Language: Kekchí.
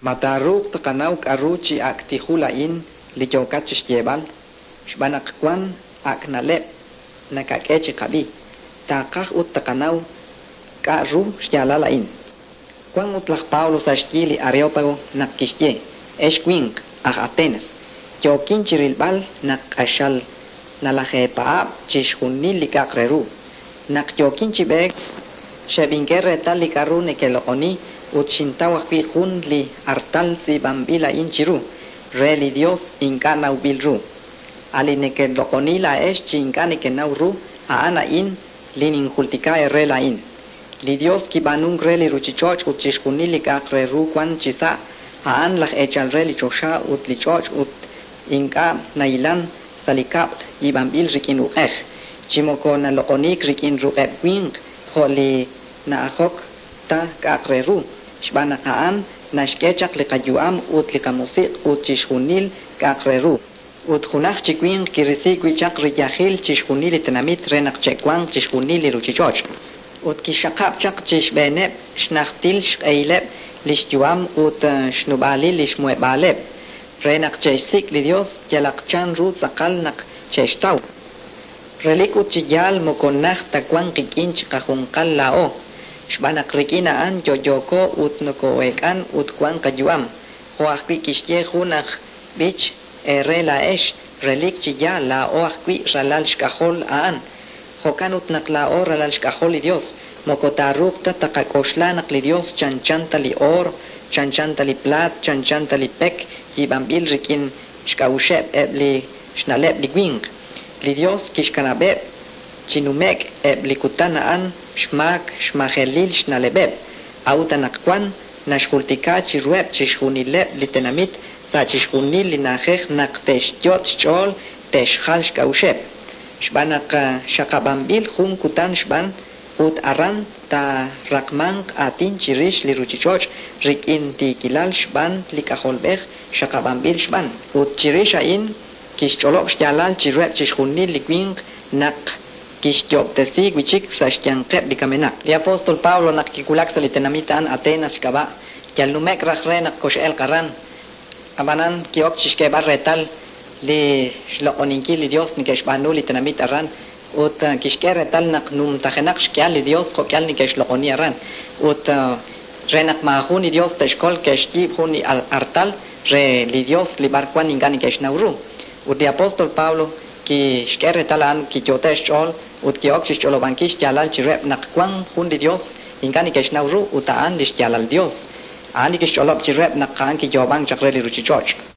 Ma taaruuq tqanaw k'aru chi ak' tijul a'in li yookat chi xyeeb'al? Xb'aan naq wank ak' na'leb' nakak'e chiqab'i. Taaqaj ut tqanaw k'a' ru xyaalal a'in. Wank ut laj Pablo sa' xyi li Areópago naq kixye, Ex winq aj Atenas, yookin chi rilb'al naq q'axal nalajeepaab' chixjunil li k'a'aq re ru. Naq yookin chi b'eek, xeb'ink'e reetal li k'aru nekeloq'oni ut xintaw ajwi' jun li artal tz'iib'anb'il a'in chiru, Re li Yos ink'a' nawb'il ru. A' li nekeloq'oni laa'ex chi ink'a' nekenaw ru, a'an a'in li ninjultika eere laa'in. Li Yos kib'aanunk re li ruuchich'och' ut chixjunil li k'a'aq re ru wank chisa', a'an laj eechal re li choxa ut li ch'och' ut ink'a' nahilank sa' li kab'l yiib'anb'il rik'in uq'ej, chi moko naloq'oniik rik'in ruq'eb' winq jo' li na'ajok ta k'a'aq re ru, xb'aan naq a'an naxk'e chaq li qayu'am ut li qamusiq' ut chixjunil k'a'aq re ru. Ut junaj chi winq kirisi wi' chaq riyajil chixjunil li tenamit re naq che'wanq chixjunil li ruuchich'och'. Ut kixxaqab' chaq chi xb'eeneb' xnajtil xq'ehileb' li xyu'am ut xnub'aalil li xmuheb'aaleb', re naq che'xsik' li Yos yalaq chanru tz'aqal naq che'xtaw. Relik ut chi yaal moko najt ta wank qik'in chiqajunqal laa'o, xb'aan naq rik'in a'an yo'yooko ut nokoo'eek'an ut wank qayu'am, jo' ajwi' kixye jun aj b'ich eere laa'ex, Relik chi yaal laa'o ajwi' ralal xk'ajol a'an. Jo'kan ut naq laa'o ralal xk'ajol li Yos, moko taaruuq ta taqak'oxla naq li Yos chanchan ta li oor, chanchan ta li plaat, chanchan ta li pek yiib'anb'il rik'in xk'a'uxeb' eb' li xna'leb' li winq. Li Yos kixkanab'eb' chi nume'k eb' li kutan a'an xmaak xmajelil xna'leb'eb', a'ut anaqwan naxjultika chiruheb' chixjunileb' li tenamit sa' chixjunil li na'ajej naq te'xyot' xch'ool te'xjal xk'a'uxeb'. Xb'aan naq xaqab'anb'il jun kutan xb'aan, ut aran taaraqmanq aatin chirix li ruuchich'och' rik'in tiikilal xb'aan li K'ajolb'ej xaqab'anb'il xb'aan. Ut chirix a'in kixch'olob' xyaalal chiruheb' chixjunil li winq naq kixyoob'tesi wi' chik sa' xyanqeb' li kamenaq. Li apóstol Pablo naq kiwulak sa' li tenamit a'an Atenas xk'ab'a', yal nume'k raj re naq kox'elq aran. Ab'anan ki'ok chi xk'eeb'al reetal li xloq'oninkil li Yos neke'xb'aanu li tenamit aran ut kixk'e reetal naq numtajenaq xk'ihal li Yos jo'k'ihal neke'xloq'oni aran. Ut re naq maajun li Yos te'xkol ke'xyiib' jun li artal re li Yos li b'arwan ink'a' neke'xnaw ru. Ut li apóstol Pablo kixk'e reetal a'an kiyoote' xch'ool ut ki'ok chi xch'olob'ankil xyaalal chiruheb' naq wank jun li Yos ink'a' neke'xnaw ru ut a'an li xyaalal Yos. A'an li kixch'olob' chiruheb' naq a'an kiyoob'ank chaq re li ruuchich'och'.